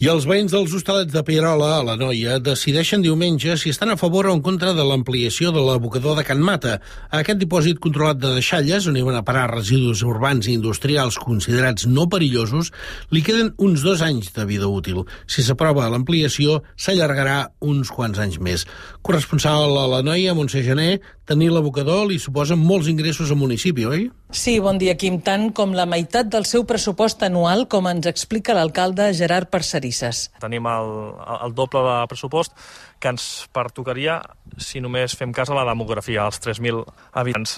I els veïns dels Hostalets de Pierola, a l'Anoia, decideixen diumenge si estan a favor o en contra de l'ampliació de l'abocador de Can Mata. A aquest dipòsit controlat de deixalles, on hi van a parar residus urbans i industrials considerats no perillosos, li queden uns 2 anys de vida útil. Si s'aprova l'ampliació, s'allargarà uns quants anys més. Corresponsal a l'Anoia, Montse Gené, tenir l'abocador li suposa molts ingressos al municipi, oi? Sí, bon dia, Quim. Tant com la meitat del seu pressupost anual, com ens explica l'alcalde Gerard Parcerisses. Tenim el doble de pressupost que ens pertocaria si només fem cas a la demografia, als 3.000 habitants.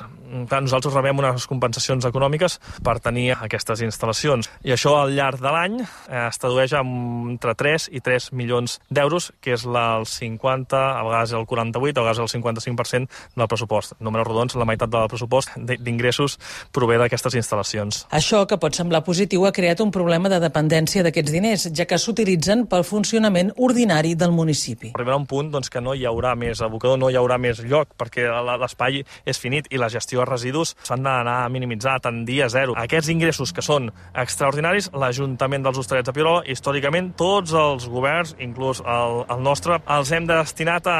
Nosaltres rebem unes compensacions econòmiques per tenir aquestes instal·lacions. I això al llarg de l'any es tradueix entre 3 i 3 milions d'euros, que és el 50, a vegades el 48, a vegades el 55% del pressupost. Números rodons, la meitat del pressupost d'ingressos prové d'aquestes instal·lacions. Això, que pot semblar positiu, ha creat un problema de dependència d'aquests diners, ja que s'utilitzen pel funcionament ordinari del municipi. Arribarà un punt que no hi haurà més abocador, no hi haurà més lloc, perquè l'espai és finit i la gestió de residus s'han d'anar a minimitzar, a tendir a zero. Aquests ingressos que són extraordinaris, l'Ajuntament dels Hostalets de Pierola, històricament, tots els governs, inclús el nostre, els hem destinat a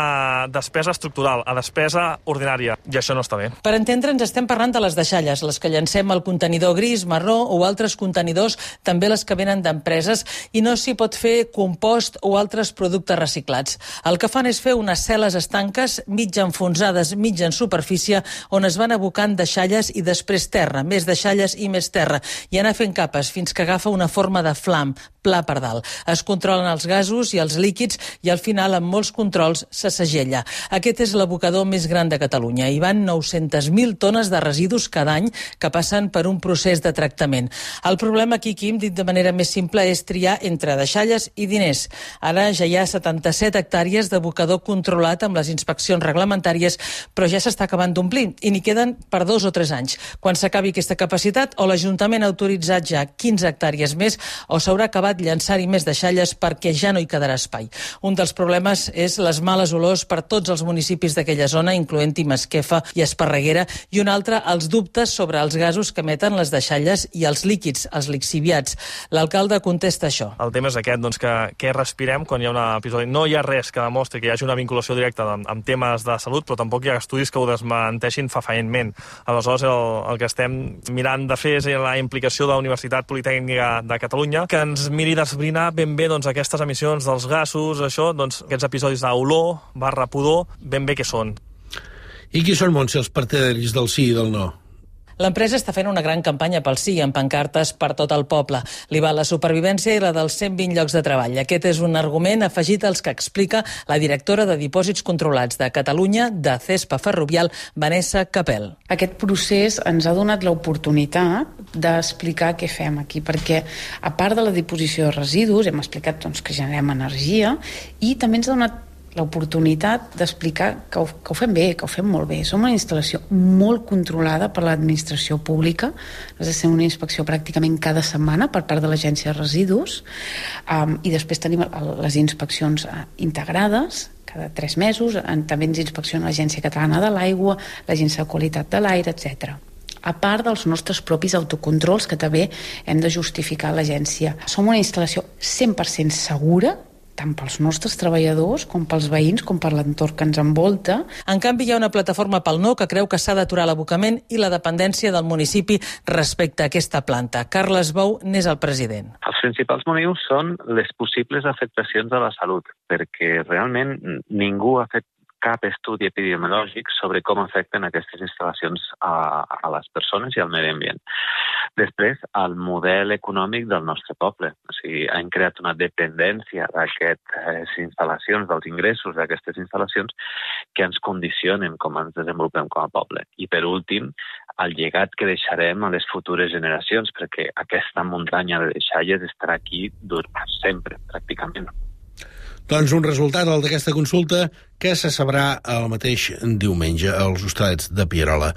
despesa estructural, a despesa ordinària, i això no està bé. Per entendre'ns, estem parlant de les deixalles, les que llancem al contenidor gris, marró o altres contenidors, també les que venen d'empreses, i no s'hi pot fer compost o altres productes reciclats. El que fan és fer unes cel·les estanques, mig enfonsades, mig en superfície, on es van abocant deixalles i després terra, més deixalles i més terra, i anar fent capes fins que agafa una forma de flam, pla per dalt. Es controlen els gasos i els líquids i al final, amb molts controls, se segella. Aquest és l'abocador més gran de Catalunya. Hi van 900.000 tones de residus cada any que passen per un procés de tractament. El problema aquí, Quim, dit de manera més simple, és triar entre deixalles i diners. Ara ja hi ha 77 hectàrees d'abocador controlat amb les inspeccions reglamentàries, però ja s'està acabant d'omplir i n'hi queden per 2 o 3 anys. Quan s'acabi aquesta capacitat, o l'Ajuntament ha autoritzat ja 15 hectàrees més o s'haurà acabat llançar-hi més deixalles perquè ja no hi quedarà espai. Un dels problemes és les males olors per tots els municipis d'aquella zona, incloent-hi Masquefa i Esparreguera, i un altre, els dubtes sobre els gasos que emeten les deixalles i els líquids, els lixiviats. L'alcalde contesta això. El tema és aquest, que què respirem quan hi ha un episodi. No hi ha res que demostri que hi hagi una vinculació directa amb temes de salut, però tampoc hi ha estudis que ho desmenteixin fefaentment. Aleshores, el que estem mirant de fer és la implicació de la Universitat Politècnica de Catalunya, que ens miri d'esbrinar ben bé aquestes emissions dels gasos, aquests episodis d'olor, pudor, ben bé què són. I qui són, Montse, els partidaris del sí i del no? L'empresa està fent una gran campanya pel sí, amb pancartes per tot el poble. Li va la supervivència i la dels 120 llocs de treball. Aquest és un argument afegit als que explica la directora de Dipòsits Controlats de Catalunya, de Cespa Ferrovial, Vanessa Capel. Aquest procés ens ha donat l'oportunitat d'explicar què fem aquí, perquè a part de la disposició de residus, hem explicat que generem energia, i també ens ha donat l'oportunitat d'explicar que ho fem bé, que ho fem molt bé. Som una instal·lació molt controlada per l'administració pública. Has de fer una inspecció pràcticament cada setmana per part de l'Agència de Residus, i després tenim les inspeccions integrades cada 3 mesos. També ens inspecciona l'Agència Catalana de l'Aigua, l'Agència de Qualitat de l'Aire, etc. A part dels nostres propis autocontrols que també hem de justificar a l'agència. Som una instal·lació 100% segura, tant pels nostres treballadors, com pels veïns, com per l'entorn que ens envolta. En canvi, hi ha una plataforma pel no que creu que s'ha d'aturar l'abocament i la dependència del municipi respecte a aquesta planta. Carles Bou n'és el president. Els principals motius són les possibles afectacions a la salut, perquè realment ningú ha fet cap estudi epidemiològic sobre com afecten aquestes instal·lacions a les persones i al medi ambient. Després, el model econòmic del nostre poble. O sigui, hem creat una dependència d'aquestes instal·lacions, dels ingressos d'aquestes instal·lacions, que ens condicionen com ens desenvolupem com a poble. I per últim, el llegat que deixarem a les futures generacions, perquè aquesta muntanya de deixalles estarà aquí sempre, pràcticament. Doncs un resultat, el d'aquesta consulta, que se sabrà el mateix diumenge als Hostalets de Pierola.